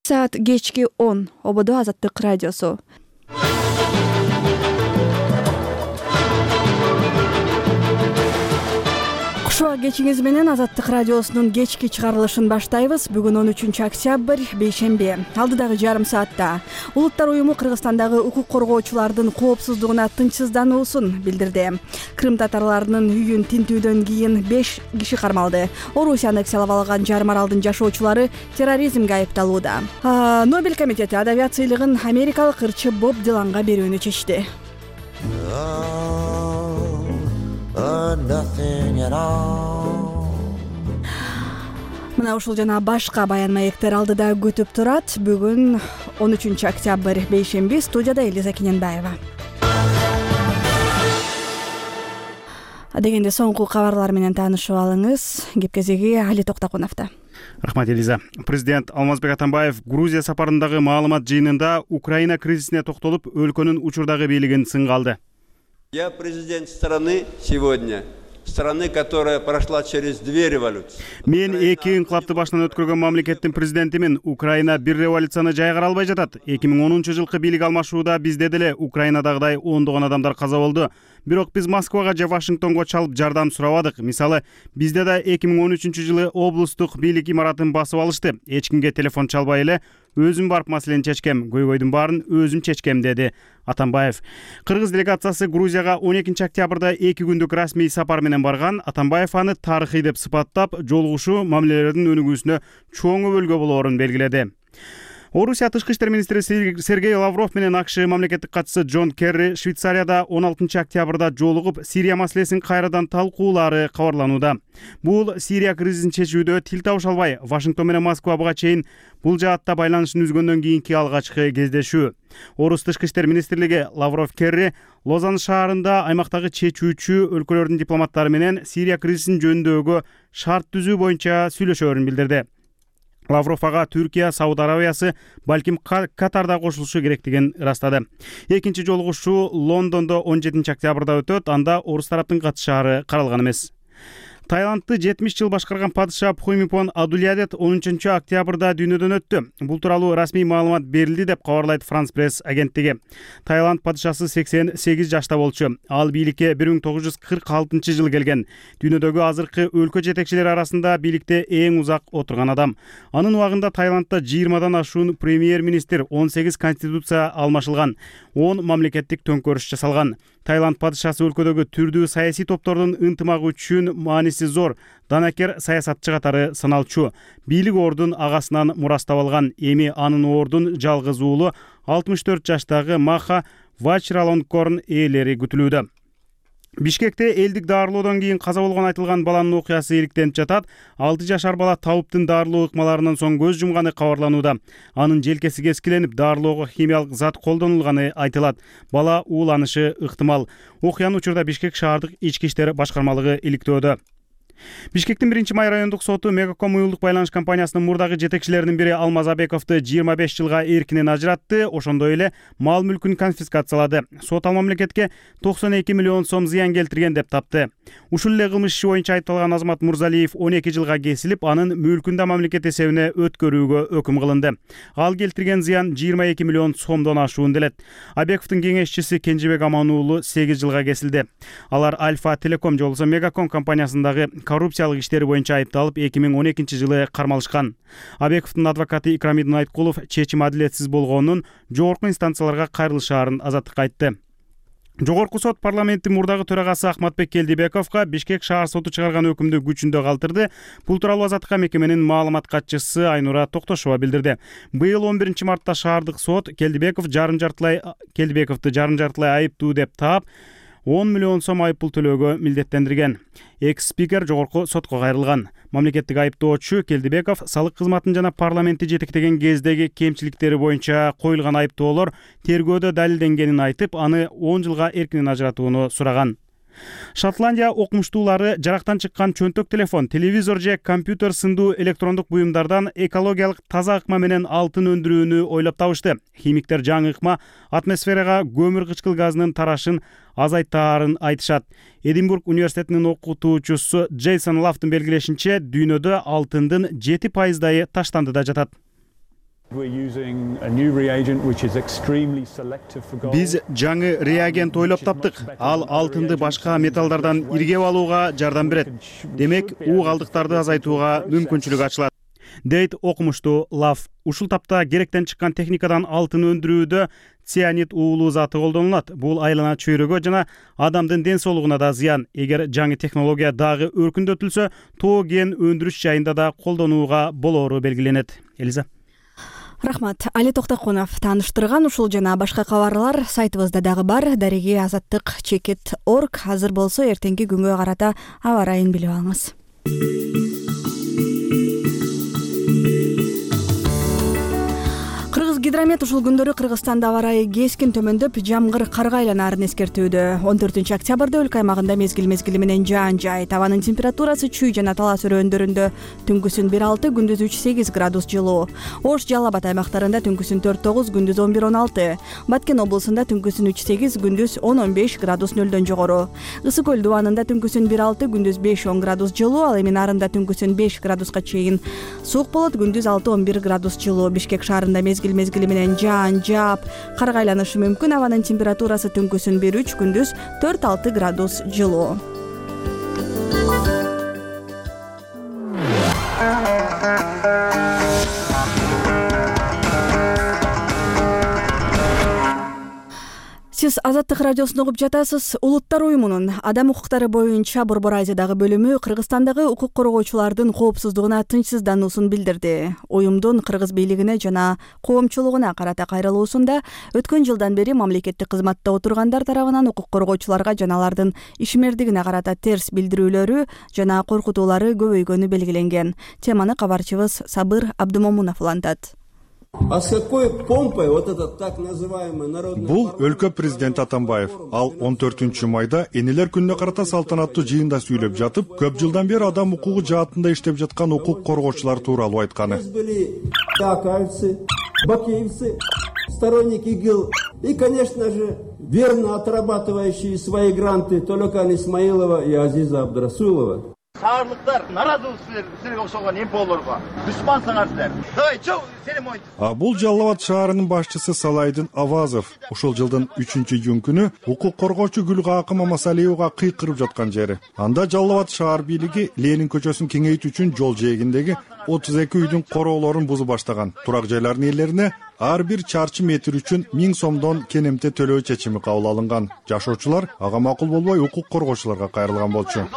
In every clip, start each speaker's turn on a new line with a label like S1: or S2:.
S1: Саат кечки 10. ОБД Азаттык радиосу. Кушуа кечиңиз менен Азаттык радиосунун кечки чыгарылышын баштайбыз. Бүгүн 13 октябрь, бейшемби. Алдыдагы жарым саатта Улуттар уюму Кыргызстандагы укук коргоочулардын коопсуздугуна тынчсыздануусун билдирди. Крым татарларынын үйүн тинтүүдөн кийин 5 киши кармалды. Орусияны аннексиялап алган жарым аралдын жашоочулары терроризмге айыпталууда. Нобель комитети адабият сыйлыгын америкалык ырчы Боб Диланга берүүнү чечти. Мына ушул жана башка баян маектер алдыда күтүп турат. Бүгүн 13 октябрь, бейшемби. Студияда Элиза Кененбаева. Дегенде соңку кабарлар менен таанышып алыңыз. Кепкезеги Али Токтокуновдо.
S2: Рахмат, Элиза. Президент Алмазбек Атамбаев Грузия сапарындагы маалымат жыйынында Украина кризисине токтолуп, өлкөнүн учурдагы бийлигин сынга алды.
S3: Я президент страны сегодня, страны, которая прошла через 2 революции.
S2: Мен 2 инкылапты башынан өткөргөн мамлекеттин президентимин. Украина бир революцияны жайгара албай жатат. 2010-жылкы бийлик алмашууда бизде деле Украинадагыдай ондогон адамдар каза болду. Бирок биз Москвага же Вашингтонго чалып жардам сурабадык. Мисалы, бизде да 2013-жылы облустук бийлик имаратын басып алышты. Эч кимге телефон чалбай эле өзүм барып маселени чечкем, көйгөйдүн баарын өзүм чечкем, деди Атамбаев. Кыргыз делегациясы Грузияга 12 октябрда 2 күндүк расмий сапар менен барган. Атамбаев аны тарыхый деп сыпаттап, жолугушуу мамилелердин өнүгүүсүнө чоң өбөлгө болоорун белгиледи. Орусия тышкы иштер министри Сергей Лавров менен АКШ мамлекеттик катчысы Джон Керри Швейцарияда 16 октябрда жолугуп, Сирия маселесин кайрадан талкуулаары кабарланууда. Бул Сирия кризисин чечүүдө тил табыша албай, Вашингтон менен Москва буга чейин бул жаатта байланышын үзгөндөн кийинки алгачкы кездешүү. Орус тышкы иштер министрлиги Лавров Керри Лозанн шаарында аймактагы чечүүчү өлкөлөрдүн дипломаттары менен Сирия кризисин жөндөөгө шарт түзүү боюнча сүйлөшөөрүн билдирди. Лавров ага Түркия, Сауд Арабиясы, балким Катарда кошулушу керектигин ырастады. Экинчи жолугушуу Лондондо 17 октябрда өтөт. Анда орус тараптын катышаары каралган эмес. Таиландты 70 жыл башкарган падыша Пхумипон Адульядет 13 октябрда дүйнөдөн өттү. Бул тууралуу расмий маалымат берилди деп кабарлайт Франс пресс агенттиги. Таиланд падышасы 88 жашта болчу. Ал бийликке 1946 жылы келген. Дүйнөдөгү азыркы өлкө жетекчилери арасында бийликте эң узак отурган адам. Анын убагында Таиландда 20дан ашуун премьер-министр, 18 конституция алмашылган, 10 мамлекеттик төңкөрүш жасалган. Таиланд падышасы өлкөдөгү түрдүү саясий топтордун ынтымагы үчүн мааниси зор, данакер саясатчы катары саналчу. Бийлик ордун агасынан мурастап алган. Эми анын ордун жалгыз уулу 64 жаштагы Маха Вачиралонгкорн ээлери күтүлүүдө. Бишкекте элдик дарылоодон кийин каза болгон айтылган баланын окуясы иликтенип жатат. 6 жашар бала табыптын дарылоо ыкмаларынан соң көз жумганы кабарланууда. Анын желкеси кескиленип, дарылоого химиялык зат колдонулганы айтылат. Бала ууланышы ыктымал. Окуянын учурда Бишкек шаардык ички иштер башкармалыгы иликтөөдө. Бишкектин 1-май райондук соту Мегаком уюлдук байланыш компаниясынын мурдагы жетекчилеринин бири Алмаз Абековду 25 жылга эркинен ажыратты, ошондой эле мал мүлкүн конфискациялады. Сот ал мамлекетке 92 миллион сом зыян келтирген деп тапты. Ушул эле кылмыш иши боюнча айыпталган Азамат Мурзалиев 12 жылга кесилип, анын мүлкүн да мамлекет эсебине өткөрүүгө өкүм кылынды. Ал келтирген зыян 22 миллион сомдон ашуун делет. Абековдун кеңешчиси Кенжебек Аман уулу 8 жылга кесилди. Алар Альфа Телеком же болбосо Мегаком компаниясындагы коррупциялык иштери боюнча айыпталып, 2012 жылы кармалышкан. Абековдун адвокаты Икрамидин Айткулов чечим адилетсиз болгонун, жогорку инстанцияларга кайрылышаарын Азаттыкка айтты. Жогорку сот парламенттин мурдагы төрагасы Ахматбек Келдибековго Бишкек шаар соту чыгарган өкүмдү күчүндө калтырды. Бул тууралуу Азаттыкка мекеменин маалымат катчысы Айнура Токтошова билдирди. Быйыл 11 мартта шаардык сот Келдибековду жарым жартылай айыптуу деп таап, 10 миллион сом айыппул төлөөгө милдеттендирген. Экс-спикер жогорку сотко кайрылган. Мамлекеттик айыптоочу Келдибеков салык кызматын жана парламентти жетектеген кездеги кемчиликтери боюнча коюлган айыптоолор тергөөдө далилденгенин айтып, аны 10 жылга эркинен ажыратууну сураган. Шотландия окумуштуулары жарактан чыккан чөнтөк телефон, телевизор же компьютер сындуу электрондук буюмдардан экологиялык таза ыкма менен алтын өндүрүүнү ойлоп табышты. Химиктер жаңы ыкма атмосферага көмүр кычкыл газынын тарашын азайтаарын айтышат. Эдинбург университетинин окутуучусу Джейсон Лафтын белгилешинче, дүйнөдө алтындын 7%-дайы таштандыда жатат. Биз жаңы реагент ойлоп таптык. Ал алтынды башка металлдардан иргеп алууга жардам берет. Демек, уу калдыктарды азайтууга мүмкүнчүлүк ачылат, дейт окумуштуу Лав. Ушул тапта керектен чыккан техникадан алтын өндүрүүдө цианид уулуу заты колдонулат. Бул айлана чөйрөгө жана адамдын ден соолугуна да зыян. Эгер жаңы технология дагы өркүндөтүлсө, тоо кен өндүрүш жайында да колдонууга болоору белгиленет. Элиза.
S1: Рахмат. Али Токтокунов тааныштырган. Ушул жана башка кабарлар сайтыбызда дагы бар. Дареги azаттык.org. Азыр болсо эртеңки күнгө карата аба ырайын билип алыңыз. Гидромет ушул күндөрү Кыргызстанда аба ырайы кескин төмөндөп, жамгыр карга айланаарын эскертүүдө. 14 октябрда өлкө аймагында мезгил менен жаан жайт. Абанын температурасы Чүй жана Талас өрөөндарында түнкүсүн 1-6, күндүз 3-8 градус жылуу. Ош, Жалал Абад аймактарында түнкүсүн 4-9, күндүз 11-16. Баткен облусунда түнкүсүн 3-8, күндүз 10-15 градус нөлдөн жогору. Ысык көл дубанында түнкүсүн 1-6, күндүз 5-10 градус жылуу. Ал эми нарында түнкүсүн 5 градуска чейин суук болот, күндүз 6-11 градус жылуу. Бишкек шаарында мезгил менен жаан жаап, карга айланышы мүмкүн. Абанын температурасы түнкүсүн 1-3, күндүз 4-6 градус жылуу. Сиз Азаттык радиосун угуп жатасыз. Улуттар уюмунун адам укуктары боюнча Борбор Азиядагы бөлүмү Кыргызстандагы укук коргоочулардын коопсуздугуна тынчсыздануусун билдирди. Уюмдун кыргыз бийлигине жана коомчулугуна карата кайрылуусунда өткөн жылдан бери мамлекеттик кызматта отургандар тарабынан укук коргоочуларга жана алардын ишмердигине карата терс билдирүүлөрү жана коркутуулары көбөйгөнү белгиленген. Теманы кабарчыбыз Сабыр Абдумомунов улантат.
S3: А с какой помпой вот этот так называемый народный...
S4: Бул өлкө президенти Атамбаев. Ал 14 майда энелер күнүнө карата салтанаттуу жыйында сүйлөп жатып, көп жылдан бери адам укугу жаатында иштеп жаткан укук коргоочулар тууралуу айтканы.
S3: Акаевцы, бакеевцы, сторонники ИГИЛ и, конечно же, верно отрабатывающие свои гранты Толокан Исмаилова и Азиза Абдрасулова.
S5: Саарлыктар наразылык силерге окшогон эмполорго душмансыңар силер. Давай, чоң, сени мойнту.
S4: А бул Жалал Абад шаарынын башчысы Салайдын Авазов. Ушул жылдын 3-июнь күнү укук коргоочу Гүлгакы Мамасалиевага кыйкырып жаткан жери. Анда Жалал Абад шаар бийлиги Ленин көчөсүн кеңейтүү үчүн жол жээгиндеги 32 үйдүн короолорун бузуп баштаган. Турак жайлардын ээлерине ар бир чарчы метр үчүн 1000 сомдон кенемте төлөө чечими кабыл алынган. Жашоочулар ага макул болбой укук коргоочуларга кайрылган болчу.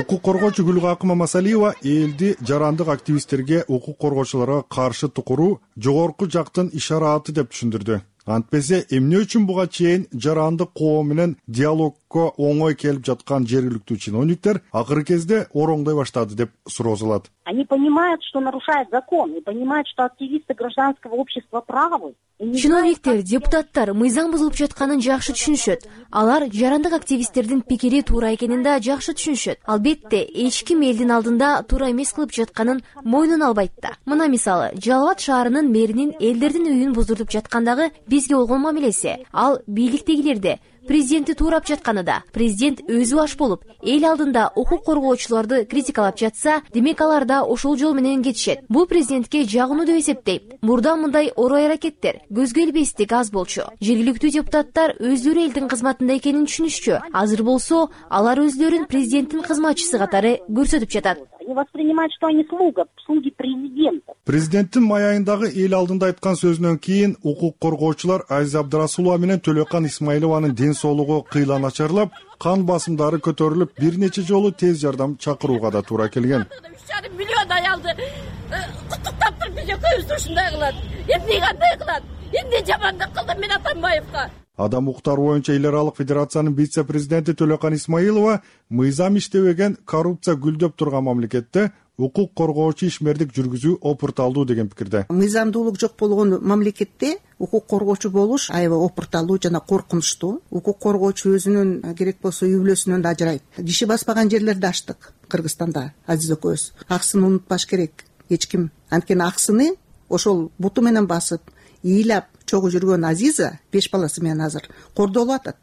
S4: Укук коргоочу Гүлгакы Мамасалиева элди жарандык активисттерге укук коргоочуларга каршы тукуруу жогорку жактын ишараты деп түшүндүрдү. Антпесе эмне үчүн буга чейин жарандык коом менен диалогко оңой келип жаткан жергиликтүү чиновниктер акыркы кезде ороңдой баштады деп суроозулат.
S6: Они понимают, что нарушают закон, и понимают, что активисты гражданского общества правы.
S7: Чиновниктер, депутаттар мыйзам бузулуп жатканын жакшы түшүнүшөт. Алар жарандык активисттердин пикири туура экенин да жакшы түшүнүшөт. Албетте, эч ким элдин алдында туура эмес кылып жатканын мойнуна албайт да. Мына мисалы, Жалал Абад шаарынын мэринин элдердин үйүн буздуртуп жаткандагы бизге болгон мамилеси. Ал бийликтегилерде президентти туурап жатканы да. Президент өзү аш болуп, эл алдында укук коргоочуларды критикалап жатса, демек алар да ошол жол менен кетишет. Бул президентке жагынуу деп эсептейм. Мурда мындай орой аракеттер көзгө илбестик аз болчу. Жергиликтүү депутаттар өздөрү элдин кызматында экенин түшүнүшчү. Азыр болсо, алар өзлөрүн президенттин кызматчысы катары көрсөтүп жатат.
S6: Они воспринимают, что они слуги президента.
S4: Президенттин май айындагы эл алдында айткан сөзүнөн кийин укук коргоочулар Азиза Абдрасулова менен Төлөкан Исмаилованын ден соолугу кыйла начарлап, кан басымдары көтөрүлүп, бир нече жолу тез жардам чакырууга да туура келген.
S8: 3,5 миллион аялды куттуктап туруп биз экөөбүздү ушундай кылат. Эмне кандай кылат? Эмне жамандык кылдым мен Атамбаевга?
S4: Адам укуктары боюнча эл аралык федерациянын вице-президенти Төлөкан Исмаилова мыйзам иштебеген, коррупция гүлдөп турган мамлекетте укук коргоочу ишмердик жүргүзүү опурталдуу деген пикирде.
S9: Мыйзамдуулук жок болгон мамлекетте укук коргоочу болуш аябай опурталдуу жана коркунучтуу. Укук коргоочу өзүнүн керек болсо үй бүлөсүнөн да ажырайт. Киши баспаган жерлерди ачтык Кыргызстанда, Азиз экөөбүз. Аксын унутпаш керек эч ким. Анткени аксыны ошол буту менен басып, ыйлап чогуу жүргөн Азиза 5 баласы менен азыр кордолуп атат.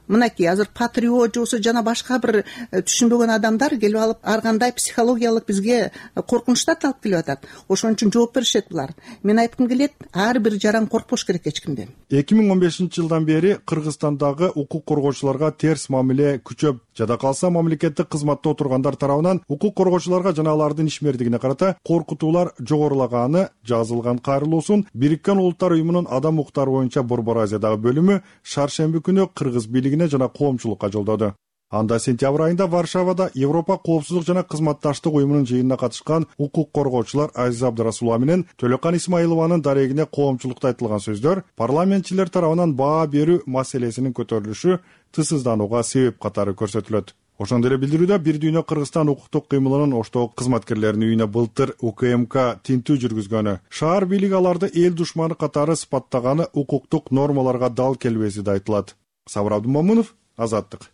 S9: мынакей азыр патриот жобосу жана башка бир түшүнбөгөн адамдар келип алып ар кандай психологиялык бизге коркунучтар алып келип атат. Ошон үчүн жооп беришет булар. Мен айткым келет, ар бир жаран коркпош керек эч кимден.
S4: 2015-жылдан бери Кыргызстандагы укук коргоочуларга терс мамиле күчөп, жада калса мамлекеттик кызматта отургандар тарабынан укук коргоочуларга жана алардын ишмердигине карата коркутуулар жогорулаганы жазылган кайрылуусун Бириккен Улуттар уюмунун адам укуктары боюнча Борбор Азиядагы бөлүмү шаршемби күнү кыргыз бийлигине жана коомчулукка жолдоду. Анда сентябрь айында Варшавада Европа коопсуздук жана кызматташтык уюмунун жыйынына катышкан укук коргоочулар Азиз Абдырасулова менен Төлөкан Исмаилованын дарегине коомчулукта айтылган сөздөр парламентчилер тарабынан баа берүү маселесинин көтөрүлүшү тысызданууга себеп катары көрсөтүлөт. Ошондой эле билдирүүдө Бир дүйнө Кыргызстан укуктук кыймылынын Оштогу кызматкерлеринин үйүнө былтыр УКМК тинтүү жүргүзгөнү, шаар бийлиги аларды эл душманы катары сыпаттаганы укуктук нормаларга дал келбеси да айтылат. Сабыр Абдымомунов, Азаттык.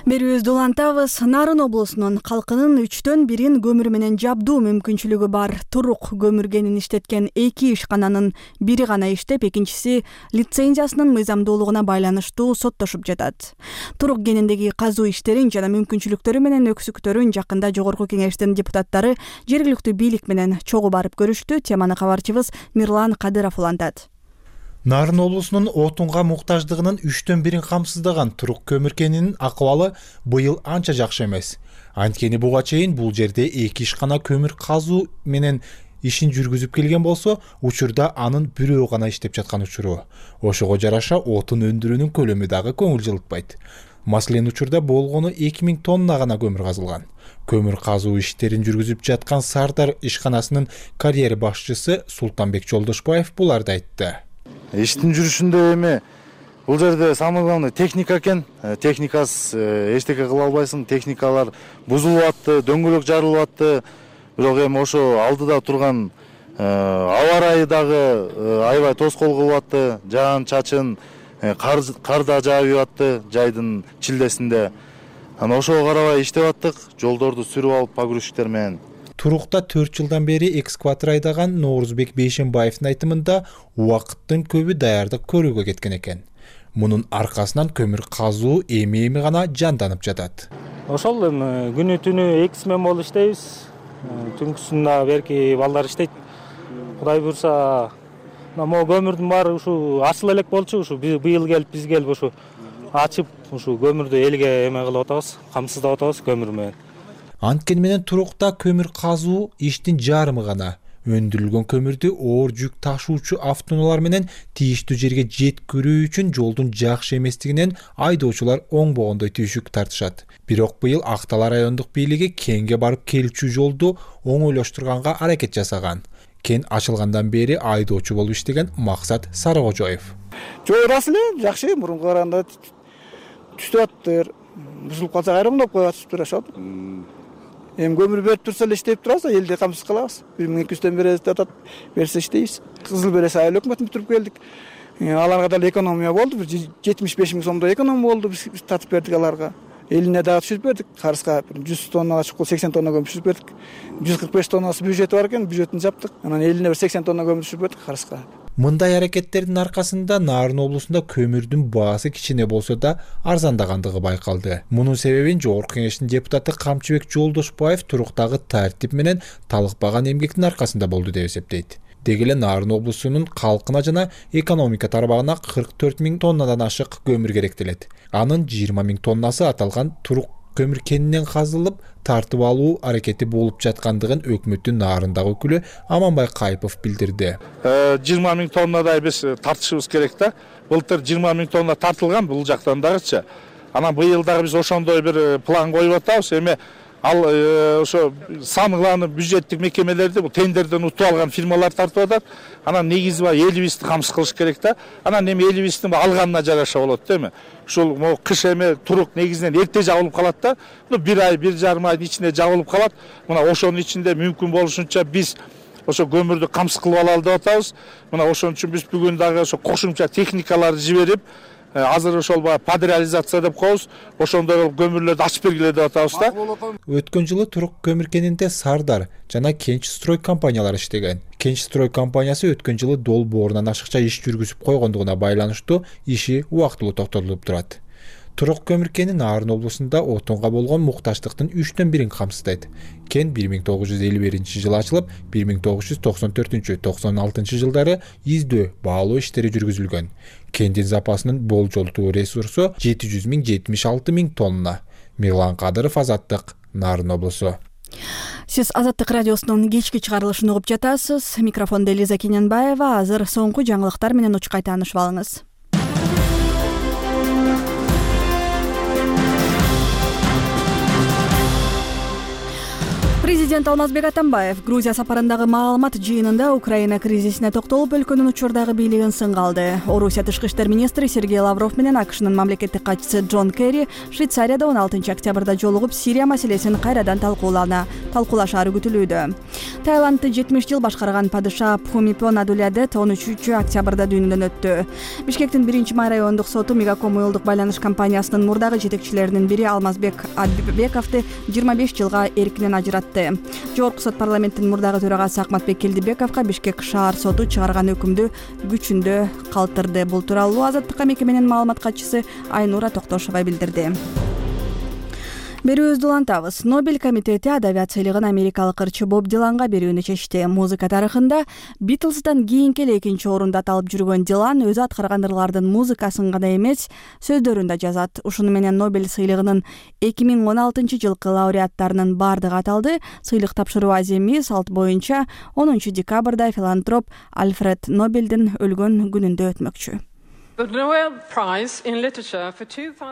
S1: Берүүбүздү улантабыз. Нарын облусунун калкынын 1/3 көмүр менен жабдуу мүмкүнчүлүгү бар Турук көмүр кенин иштеткен 2 ишкананын бири гана иштеп, экинчиси лицензиясынын мыйзамдуулугуна байланыштуу соттошуп жатат. Турук кениндеги казуу иштерин жана мүмкүнчүлүктөрү менен өксүктөрүн жакында Жогорку Кеңештин депутаттары жергиликтүү бийлик менен чогуу барып көрүштү. Теманы кабарчыбыз Мирлан Кадыров улантат.
S10: Нарын облусунун отунга муктаждыгынын 1/3 камсыздаган Турук көмүр кенинин акыбалы быйыл анча жакшы эмес. Анткени буга чейин бул жерде 2 ишкана көмүр казуу менен ишин жүргүзүп келген болсо, учурда анын бирөө гана иштеп жаткан учуру. Ошого жараша отун өндүрүүнүн көлөмү дагы көңүл жылытпайт. Маселен, учурда болгону 2000 тонна гана көмүр казылган. Көмүр казуу иштерин жүргүзүп жаткан Сардар ишканасынын карьер башчысы Султанбек Жолдошбаев буларды айтты.
S11: Иштин жүрүшүндө эми бул жерде самый главный техника экен. Техникасыз эчтеке кыла албайсың. Техникалар бузулуп атты, дөңгөлөк жарылып атты. Бирок эми ошо алдыда турган аба ырайы дагы аябай тоскоол кылып атты. Жаан чачын кар да жаап атты жайдын чилдесинде. Анан ошого карабай иштеп аттык. Жолдорду сүрүп алып погрузчиктер менен.
S10: Турукта 4 жылдан бери экскаватор айдаган Ноорузбек Бейшенбаевдин айтымында убакыттын көбү даярдык көрүүгө кеткен экен. Мунун аркасынан көмүр казуу эми гана жанданып жатат.
S12: Ошол эми күнү түнү 2 смен болуп иштейбиз. Түнкүсүндө берки балдар иштейт. Кудай буйрса, могу көмүрдүн баары ушу ачыла элек болчу, ушу быйыл келип биз келип ушу ачып, ушу көмүрдү элге эме кылып атабыз, камсыздап атабыз көмүр менен.
S10: Анткени менен Турукта көмүр казуу иштин жарымы гана. Өндүрүлгөн көмүрдү оор жүк ташуучу автоунаалар менен тийиштүү жерге жеткирүү үчүн жолдун жакшы эместигинен айдоочулар оңбогондой түйшүк тартышат. Бирок быйыл Актала райондук бийлиги кенге барып келчү жолду оңойлоштурганга аракет жасаган. Кен ачылгандан бери айдоочу болуп иштеген Максат Сарыкожоев.
S13: Жол ырасы эле жакшы, мурунку караганда түштүп аттыр. Бузулуп калса кайрымдап коюп атышыптыр ошол. Эми көмүр берип турса эле иштеп турабыз, элди камсыз кылабыз. 1200-төн бери атат, берсе иштейбиз. Кызыл берес айыл өкмөтүн бүтүрүп келдик. Аларга да экономия болду, 75 000 сомдой экономия болду, биз татып бердик аларга. Элине дагы түшүрүп бердик, карызга 100 тоннага чукул 80 тонна көмүр түшүрүп бердик. 145 тоннасы бюджети бар экен, бюджетин жаптык. Анан элине 80 тонна көмүр түшүрүп бердик карызга.
S10: Мындай аракеттердин аркасында Нарын облусунда көмүрдүн баасы кичине болсо да арзандагандыгы байкалды. Мунун себебин Жогорку Кеңештин депутаты Камчыбек Жолдошбаев Туруктагы тартип менен талыкпаган эмгектин аркасында болду деп эсептейт. Деги эле Нарын облусунун калкына жана экономика тарабагына 44 000 тоннадан ашык көмүр керектелет. Анын 20 000 тоннасы аталган Турук көмүр кенинен казылып тартып алуу аракети болуп жаткандыгын өкмөттүн Нарындагы өкүлү Аманбай Кайпов билдирди.
S11: 20 000 тоннадай биз тартышыбыз керек да. Былтыр 20 000 тонна тартылган бул жактан дагычы. Анан быйыл дагы биз ошондой бир план коюп атабыз. Эми ал ошо самый главный бюджеттик мекемелерди бул тендерден утуп алган фирмалар тартып атат. Анан негизи бар элибизди камсыз кылыш керек да. Анан эми элибиздин алганына жараша болот да эми. Ушул кыш эми Турук негизинен эрте жабылып калат да. 1 ай, 1,5 айдын ичинде жабылып калат. Мына ошонун ичинде мүмкүн болушунча биз ошо көмүрдү камсыз кылып алалы деп атабыз. Мына ошон үчүн биз бүгүн дагы ошо кошумча техникаларды жиберип, азыр ошол баягы подреализация деп коебуз, ошондой көмүрлөрдү ачып бергиле деп атабыз да.
S10: Өткөн жылы турук көмүр кенинде Сардар жана Кенч строй компаниялары иштеген. Кенч строй компаниясы өткөн жылы долбоорунан ашыкча иш жүргүзүп койгондугуна байланыштуу иши убактылуу токтотулуп турат. Турук көмүр кени Нарын облусунда отунга болгон муктаждыктын 3/1 камсыздайт. Кен 1951-жылы ачылып, 1994-96 жылдары издөө, баалоо иштери жүргүзүлгөн. Кендин запасынын болжолдуу ресурсу 700 000 тонна. Мирлан Кадыров, Азаттык, Нарын облусу.
S1: Сиз Азаттык радиосунун кечки чыгарылышын угуп жатасыз. Микрофондо Элиза Кененбаева. Азыр соңку жаңылыктар менен учкай таанышып алыңыз. Президент Алмазбек Атамбаев Грузия сапарындагы маалымат жыйынында Украина кризисине токтолуп, өлкөнүн учурдагы бийлигин сынга алды. Орусия тышкы иштер министри Сергей Лавров менен АКШнын мамлекеттик катчысы Джон Керри Швейцарияда 16 октябрда жолугуп, Сирия маселесин кайрадан талкуулашаары күтүлүүдө. Таиландды 70 жыл башкарган падыша Пхумипон Адулядет 13 октябрда дүйнөдөн өттү. Бишкектин 1-май райондук соту Мегаком уюлдук байланыш компаниясынын мурдагы жетекчилеринин бири Алмазбек Адбековду 25 жылга эркинен ажыратты. Жогорку сот парламенттин мурдагы төрагасы Акматбек Келдибековго Бишкек шаар соту чыгарган өкүмдү күчүндө калтырды. Бул тууралуу Азаттыкка мекеменин маалымат катчысы Айнура Токтошова билдирди. Берүүбүздү улантабыз. Нобель комитети адабият сыйлыгын америкалык ырчы Боб Диланга берүүнү чечти. Музыка тарыхында Битлздан кийинки эле экинчи орунда аталып жүргөн Дилан өзү аткарган ырлардын музыкасын гана эмес, сөздөрүн да жазат. Ушуну менен Нобель сыйлыгынын 2016 жылкы лауреаттарынын бардыгы аталды. Сыйлык тапшыруу аземи салт боюнча 10 декабрда филантроп Альфред Нобелдин өлгөн күнүндө өтмөкчү.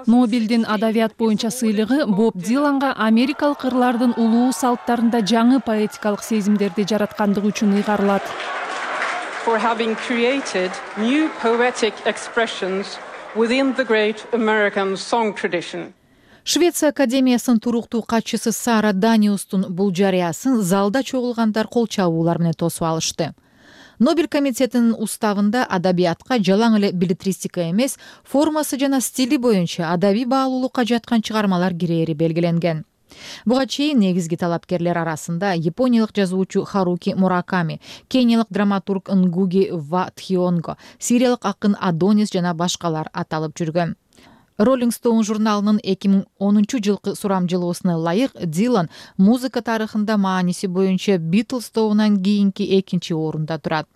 S14: Нобелдин адабият боюнча сыйлыгы Боб Диланга америкалык ырлардын улуу салттарында жаңы поэтикалык сезимдерди жараткандыгы үчүн ыйгарылат. Швеция академиясынын туруктуу катчысы Сара Даниустун бул жарыясын залда чогулгандар кол чабуулар менен тосуп алышты. Нобель комитетинин уставында адабиятка жалаң эле билетристика эмес, формасы жана стили боюнча адабий баалуулукка жаткан чыгармалар кирээри белгиленген. Буга чейин негизги талапкерлер арасында япониялык жазуучу Харуки Мураками, кениялык драматург Нгуги ва Тхионго, сириялык акын Адонис жана башкалар аталып жүргөн. Rolling Stone журналынын 2010 жылкы сурамжылоосуна ылайык Дилан музыка тарыхында мааниси боюнча Beatles тобунан кийинки экинчи орунда турат.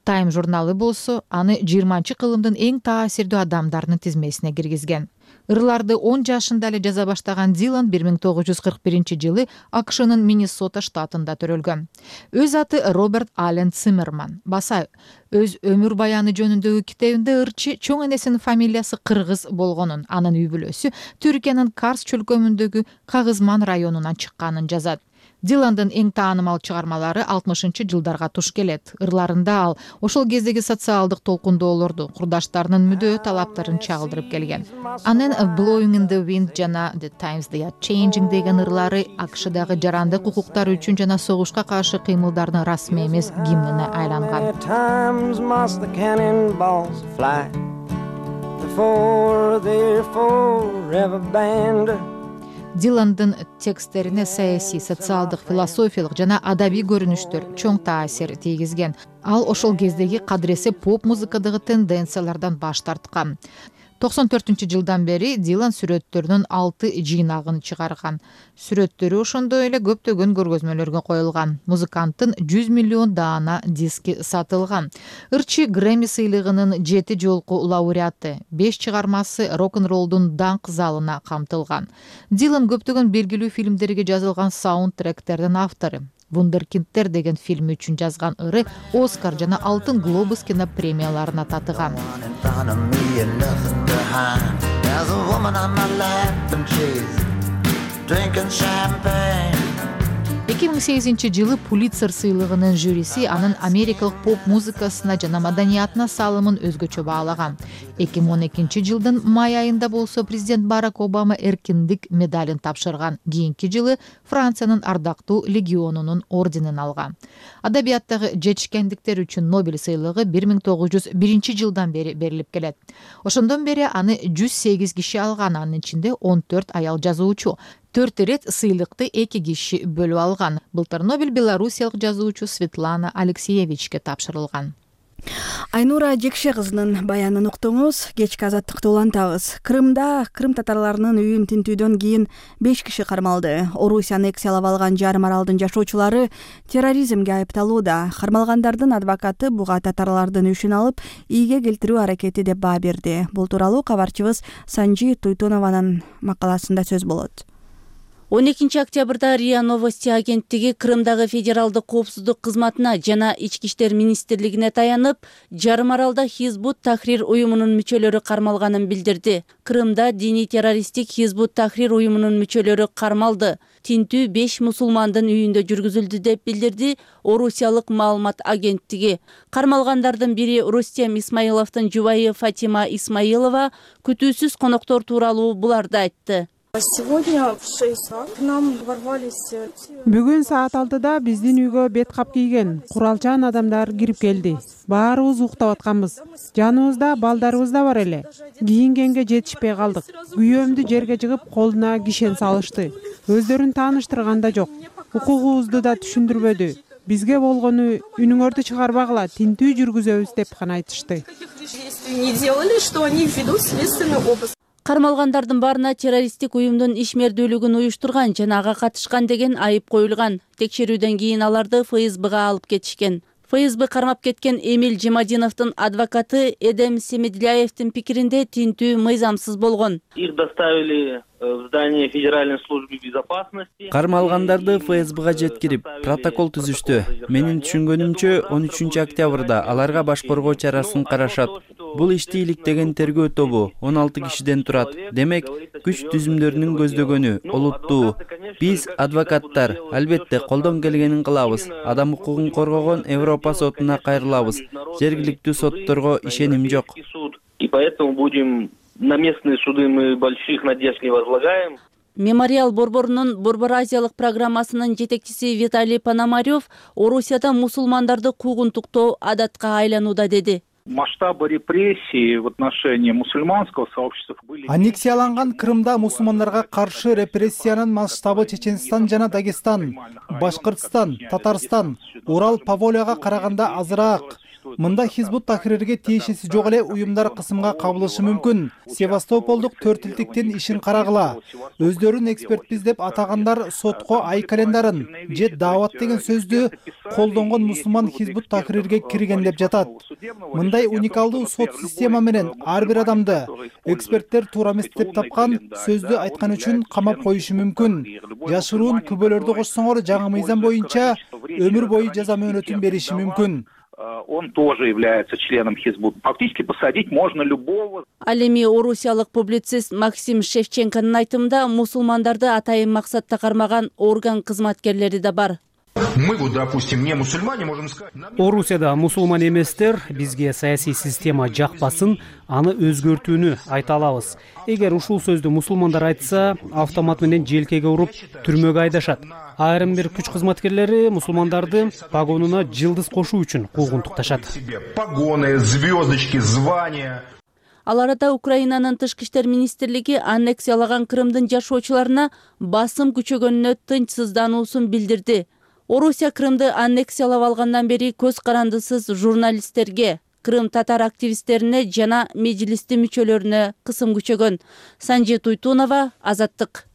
S14: Time журналы болсо аны 20-кылымдын эң таасирдүү адамдарынын тизмесине киргизген. Ырларды 10 жашында эле жаза баштаган Дилан 1941-жылы АКШнын Миннесота штатында төрөлгөн. Өз аты Роберт Аллен Циммерман. Баса өз өмүр баяны жөнүндөгү китебинде ырчы чоң энесинин фамилиясы кыргыз болгонун, анын үй бүлөсү Түркиянын Карс чөлкөмүндөгү Кагызман районунан чыкканын жазат. Диландын эң таанымал чыгармалары 60-жылдарга туш келет. Ырларында ал ошол кездеги социалдык толкундоолорду, курдаштарынын мүдөө талаптарын чагылдырып келген. Анын Blowing in the Wind жана The Times They Are Changing деген ырлары АКШдагы жарандык укуктар үчүн жана согушка каршы кыймылдардын расмий эмес гимнине айланган. Диландын тексттерине саясий, социалдык, философиялык жана адабий көрүнүштөр чоң таасир тийгизген. Ал ошол кездеги кадыресе поп музыкадагы тенденциялардан баш тарткан. 94-жылдан бери Дилан сүрөттөрүнүн 6 жыйнагын чыгарган. Сүрөттөрү ошондой эле көптөгөн көргөзмөлөргө коюлган. Музыканттын 100 миллион даана диски сатылган. Ырчы Грэмми сыйлыгынын 7 жолку лауреаты, 5 чыгармасы рок-н-роллдун даңк залына камтылган. Дилан көптөгөн белгилүү фильмдерге жазылган саундтректердин автору. Вундеркиндтер деген фильм үчүн жазган ыры Оскар жана Алтын глобус кино премияларына татыган. 2008-жылы Пулитцер сыйлыгынын жюриси анын америкалык поп музыкасына жана маданиятына салымын өзгөчө баалаган. 2012-жылдын май айында болсо президент Барак Обама эркиндик медалин тапшырган. Кийинки жылы Франциянын ардактуу легионунун орденин алган. Адабияттагы жетишкендиктер үчүн Нобель сыйлыгы 1901-жылдан бери берилип келет. Ошондон бери аны 108 киши алган, анын ичинде 14 аял жазуучу. 4 ирет сыйлыкты 2 киши бөлүп алган. Былтыр Нобель белоруссиялык жазуучу Светлана Алексеевичке тапшырылган.
S1: Айнура Жекше кызынын баянын уктуңуз. Кечки азаттыкты улантабыз. Крымда крым татарларынын үйүн тинтүүдөн кийин 5 киши кармалды. Орусия аннексиялап алган жарым аралдын жашоочулары терроризмге айыпталууда. Кармалгандардын адвокаты буга татарлардын үшүн алып, ийге келтирүү аракети деп баа берди. Бул тууралуу кабарчыбыз Санжи Туйтунованын макаласында сөз болот.
S15: 12 октябрда РИА Новости агенттиги Крымдагы федералдык коопсуздук кызматына жана Ички иштер министрлигине таянып, жарым аралда Хизбут Тахрир уюмунун мүчөлөрү кармалганын билдирди. Крымда диний террористтик Хизбут Тахрир уюмунун мүчөлөрү кармалды. Тинтүү 5 мусулмандын үйүндө жүргүзүлдү деп билдирди Орусиялык маалымат агенттиги. Кармалгандардын бири Рустем Исмаиловдун жубайы Фатима Исмаилова күтүүсүз коноктор тууралуу буларды айтты.
S16: Бүгүн саат 6-да биздин үйгө бет кап кийген куралчан адамдар кирип келди. Баарыбыз уктап атканбыз. Жаныбызда балдарыбыз да бар эле. Кийингенге жетишпей калдык. Күйөөмдү жерге жыгып, колуна кишен салышты. Өздөрүн тааныштырган да жок. Укугубузду да түшүндүрбөдү. Бизге болгону үнүңөрдү чыгарбагыла, тинтүү жүргүзөбүз деп гана айтышты.
S15: Кармалгандардын баарына террористтик уюмдун ишмердүүлүгүн уюштурган жана ага катышкан деген айып коюлган. Текшерүүдөн кийин аларды ФСБга алып кетишкен. ФСБ кармап кеткен Эмиль Жемадиновдун адвокаты Эдем Семедляевдин пикиринде тинтүү мыйзамсыз болгон.
S17: Их доставили в здание Федеральной службы безопасности.
S18: Кармалгандарды ФСБга жеткирип, протокол түзүштү. Менин түшүнгөнүмчө 13 октябрда аларга баш коргоо чарасын карашат. Бул ишти иликтеген тергөө тобу 16 кишиден турат. Демек, күч түзүмдөрүнүн көздөгөнү олуттуу. Биз адвокаттар албетте колдон келгенин кылабыз. Адам укугун коргогон Европа сотуна кайрылабыз. Жергиликтүү сотторго ишеним жок.
S17: И поэтому будем на местные суды, мы больших надежд не возлагаем.
S15: Мемориал Борборунун Борбор Азиялык программасынын жетекчиси Виталий Пономарев Орусияда мусулмандарды куугунтуктоо адатка айланууда деди.
S19: Масштабы репрессий в отношении мусульманского сообщества были.
S20: Аннексияланган Крымда мусулмандарга каршы репрессиянын масштабы Чеченстан жана Дагестан, Башкыртстан, Татарстан, Урал, Поволияга караганда азыраак. Мында Хизбут Тахрирге тиешеси жок эле уюмдар кысымга кабылышы мүмкүн. Севастополдук 4 илдиктин ишин карагыла. Өздөрүн экспертпиз деп атагандар сотко ай календарын же даават деген сөздү колдонгон мусулман Хизбут Тахрирге кирген деп жатат. Мындай уникалдуу сот система менен ар бир адамды эксперттер туура эмес деп тапкан сөздү айткан үчүн камап коюшу мүмкүн. Жашыруун күбөлөрдү кошсоңор жаңы мыйзам боюнча өмүр бою жаза мөөнөтүн бериши мүмкүн.
S19: Он тоже является членом Хизбут. Фактически посадить можно любого.
S15: Ал эми орусиялык публицист Максим Шевченконун айтымында мусулмандарды атайын максатта кармаган орган кызматкерлери да бар.
S21: Мы вот, допустим, не мусульмане, можем сказать.
S22: Орусияда мусулман эместер бизге саясий система жакпасын, аны өзгөртүүнү айта алабыз. Эгер ушул сөздү мусулмандар айтса, автомат менен желкеге уруп түрмөгө айдашат. Айрым бир күч кызматкерлери мусулмандарды погонуна жылдыз кошуу үчүн куугунтукташат.
S21: Погоны, звездочки, звания.
S15: Ал арада Украинанын тышкы иштер министрлиги аннексиялаган Крымдын жашоочуларына басым күчөгөнүнө тынчсыздануусун билдирди. Орусия Крымды аннексиялап алгандан бери көз карандысыз журналисттерге, Крым татар активисттерине жана мejliстин мүчөлөрүнө кысым күчөгөн. Санжи Туйтунова, Азаттык.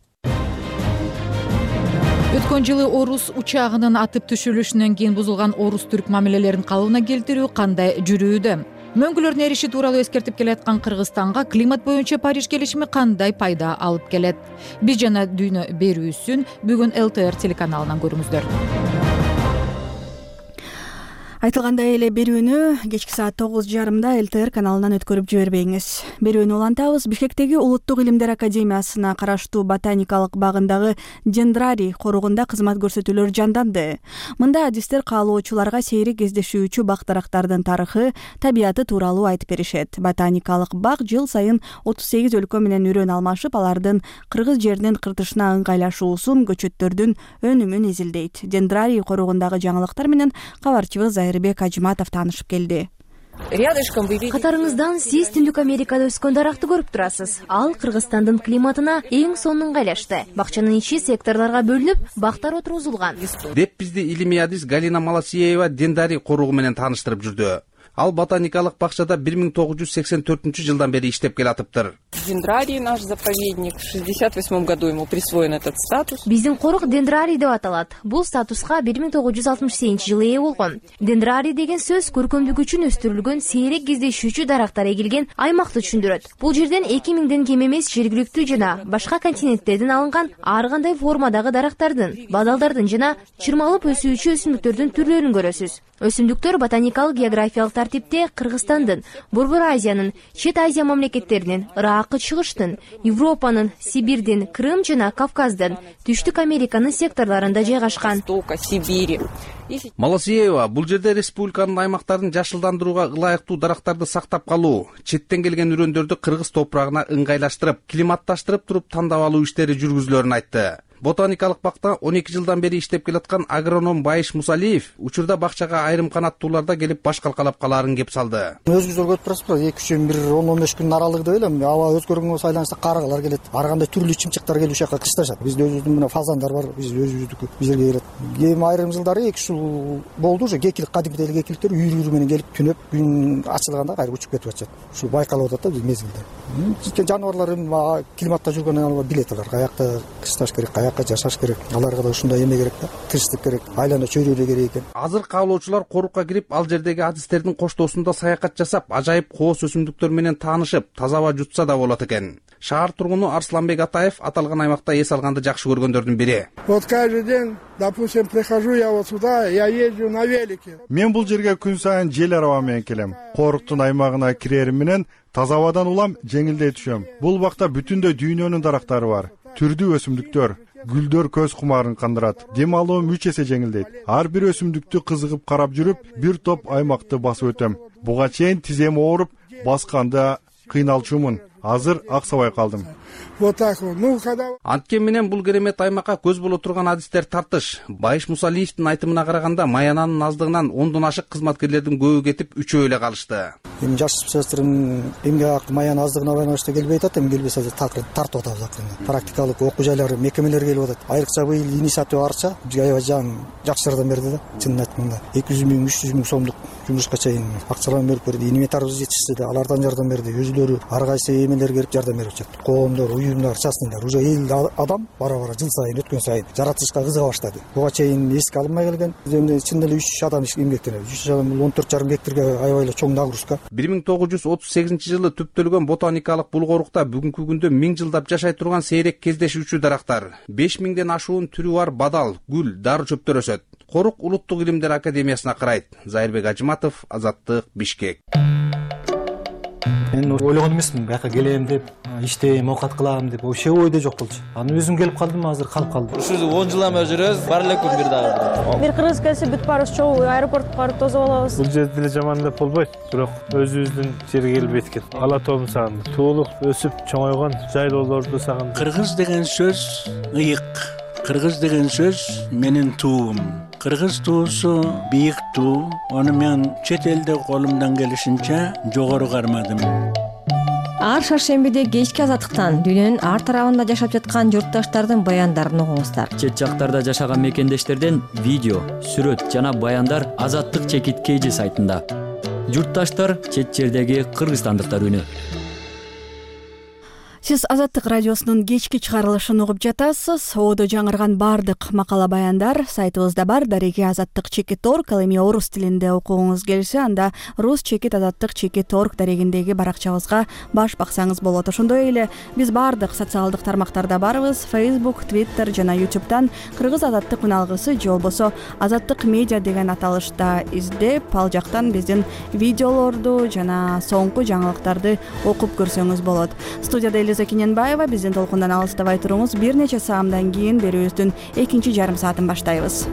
S14: Өткөн жылы орус учагынын атып түшүрүлүшүнөн кийин бузулган орус-түрк мамилелерин калыбына келтирүү кандай жүрүүдө? Мөңгүлөрдүн эриши тууралуу эскертип келаткан Кыргызстанга климат боюнча Париж келишими кандай пайда алып келет? Биз жана дүйнө берүүсүн бүгүн ЛТР телеканалынан көрүңүздөр.
S1: Айтылгандай эле берүүнү кечки саат 9:30 ЛТР каналынан өткөрүп жибербеңиз. Берүүнү улантабыз. Бишкектеги Улуттук илимдер академиясына караштуу ботаникалык багындагы дендрарий коругунда кызмат көрсөтүүлөр жанданды. Мында адистер каалоочуларга сейрек кездешүүчү бак дарактардын тарыхы, табияты тууралуу айтып беришет. Ботаникалык бак жыл сайын 38 өлкө менен үрөн алмашып, алардын кыргыз жеринин кыртышына ыңгайлашуусун, көчөттөрдүн өнүмүн изилдейт. Дендрарий коругундагы жаңылыктар менен кабарчыбыз Зайырбек Ажиматов таанышып келди.
S7: Катарыңыздан сиз Түндүк Америкада өскөн даракты көрүп турасыз. Ал Кыргызстандын климатына эң сонун ыңгайлашты. Бакчанын ичи секторлорго бөлүнүп, бактар отургузулган.
S2: Деп бизди илимий адис Галина Маласиева дендрарий коругу менен тааныштырып жүрдү. Ал ботаникалык бакчада 1984 жылдан бери иштеп келатыптыр.
S3: Дендрарий наш заповедник. В 68 году ему присвоен этот статус.
S7: Биздин корук дендрарий деп аталат. Бул статуска 1968 жылы ээ болгон. Дендрарий деген сөз көркөмдүк үчүн өстүрүлгөн сейрек кездешүүчү дарактар эгилген аймакты түшүндүрөт. Бул жерден 2000ден кем эмес жергиликтүү жана башка континенттерден алынган ар кандай формадагы дарактардын, бадалдардын жана чырмалып өсүүчү өсүмдүктөрдүн түрлөрүн көрөсүз. Өсүмдүктөр ботаникалык географиялык тартипте Кыргызстандын, Борбор Азиянын, Чет Азия мамлекеттеринин, Ыракы чыгыштын, Европанын, Сибирдин, Крым жана Кавказдын, Түштүк Американын секторлорунда жайгашкан.
S2: Маласиева бул жерде республиканын аймактарын жашылдандырууга ылайыктуу дарактарды сактап калуу, четтен келген үрөндөрдү кыргыз топурагына ыңгайлаштырып, климатташтырып туруп тандап алуу иштери жүргүзүлөрүн айтты. Ботаникалык бакта 12 жылдан бери иштеп келаткан агроном Байыш Мусалиев учурда бакчага айрым канаттууларда келип баш калкалап калаарын кеп салды.
S23: Өзүбүз көрүп турасызбы, 2-3-10-15 күн аралыгында эле аба өзгөргөнгө байланыштуу карыгалар келет. Ар кандай түрлүү чымчыктар келип ушакка кышташат. Бизде өзүбүздүн мына фазандар бар, биз өзүбүздүкү бизерге келет. Эми айрым жылдары 2 жыл болду уже кекилик, кадимдеги кекиликтер үйрү менен келип түнөп, күн ачылганда кайра учуп кетип атышат. Ушу байкалып атат да биз мезгилде. Жаныбарлар эми климатта жүргөн билет алар, каякта кышташ керек, каякка жашаш керек, аларга да ушундай эме керек да, тынчтык керек, айлана чөйрөлө керек экен.
S2: Азыр каалоочулар корукка кирип, ал жердеги адистердин коштоосунда саякат жасап, ажайып кооз өсүмдүктөр менен таанышып, таза аба жутса да болот экен. Шаар тургуну Арсланбек Атаев аталган аймакта эс алганды жакшы көргөндөрдүн бири.
S24: Вот каждый день, допустим, прихожу я вот сюда, я езжу на велике.
S4: Мен бул жерге күн сайын жел араба менен келем. Коруктун аймагына кирерим менен таза абадан улам, жеңилдей түшөм. Бул бакта бүтүндөй дүйнөнүн дарактары бар. Түрдүү өсүмдүктөр, гүлдөр көз кумарын кандырат. Дем алуум 3 эсе жеңилдейт. Ар бир өсүмдүктү кызыгып карап жүрүп, бир топ аймакты басып өтөм. Буга чейин тизем ооруп, басканда кыйналчумун. Азыр аксабай калдым.
S24: Вот так вот. Ну, когда...
S2: Анткени менен бул керемет аймакка көз боло турган адистер тартыш. Байыш Мусалиевдин айтымына караганда, маянанын аздыгынан 10дон ашык кызматкерлердин көбү кетип, 3 эле калышты.
S23: Эми жаш специалисттин эмгек акы маянанын аздыгына байланыштуу келбей атат, эми келбесе тартып атабыз акырында. Практикалык окуу жайлары, мекемелер келип атат. Айрыкча быйыл инициатива арча бизге аябай жакшы жардам берди да. Чынын айтканда 200 миң, 300 миң сомдук жумушка чейин акчаларын берип берди. Инвентарыбыз жетишти да, алардан жардам берди. Өзүлөрү ар кайсы эмелер келип жардам берип атат. Коомдор, уюмдар, частныйлар уже 50 адам бара-бара жыл сайын өткөн сайын жаратылышка кызыга баштады. Буга чейин эске алынмай келген. Эми чын эле 3 адам эмгектенет. 3 адам 14,5 гектарга аябай эле чоң нагрузка.
S2: 1938 жылы түптөлгөн ботаникалык бул корукта бүгүнкү күндө 1000 жылдап жашай турган сейрек кездешүүчү дарактар, 5000ден ашуун түрү бар бадал, гүл, дары чөптөр өсөт. Корук Улуттук илимдер академиясына карайт. Зайырбек Ажиматов, Азаттык, Бишкек.
S25: Мен ойлогон эмесмин, бияка келем деп, иштейм, оокат кылам деп, вообще ойдо жок болчу. Аны өзүм келип калдым, азыр калып калдым.
S26: Ушул 10 жылдан бери жүрөбүз, бар эле күн бир дагы.
S27: Бир кыргыз келсе бүт баарыбыз чогуу аэропортко барып тосуп алабыз.
S12: Бул жерде эле жаман деп болбойт, бирок өзүбүздүн жерге келбейт экен. Ала тоомду сагындым. Туулуп, өсүп, чоңойгон жайлоолорду сагындым.
S28: Кыргыз деген сөз ыйык. Кыргыз деген сөз менин туум. Кыргыз туусу бийик туу. Аны мен чет элде колумдан келишинче жогору кармадым.
S29: Ар шаршембиде кечки азаттыктан дүйнөнүн ар тарабында жашап жаткан журтташтардын баяндарын угуңуздар.
S30: Чет жактарда жашаган мекендештерден видео, сүрөт жана баяндар Азаттык чекит KG сайтында. Журтташтар чет жердеги кыргызстандыктар үнү.
S1: Сиз Азаттык радиосунун кечки чыгарылышын угуп жатасыз. Одо жаңырган бардык макала баяндар сайтыбызда бар. Дареги azattik.org. Ал эми орус тилинде окугуңуз келсе, анда rus-azattik.org дарегиндеги баракчабызга баш баксаңыз болот. Ошондой эле биз бардык социалдык тармактарда барбыз. Facebook, Twitter жана YouTube'дан Кыргыз Азаттык үналгысы же болбосо Азаттык медиа деген аталышта издеп, ал жактан биздин видеолорду жана соңку жаңылыктарды окуп көрсөңүз болот. Студияда Элиза Кененбаева, биздин толкундан алыстабай туруңуз. Бир нече саамдан кийин берүүбүздүн экинчи жарым саатын баштайбыз.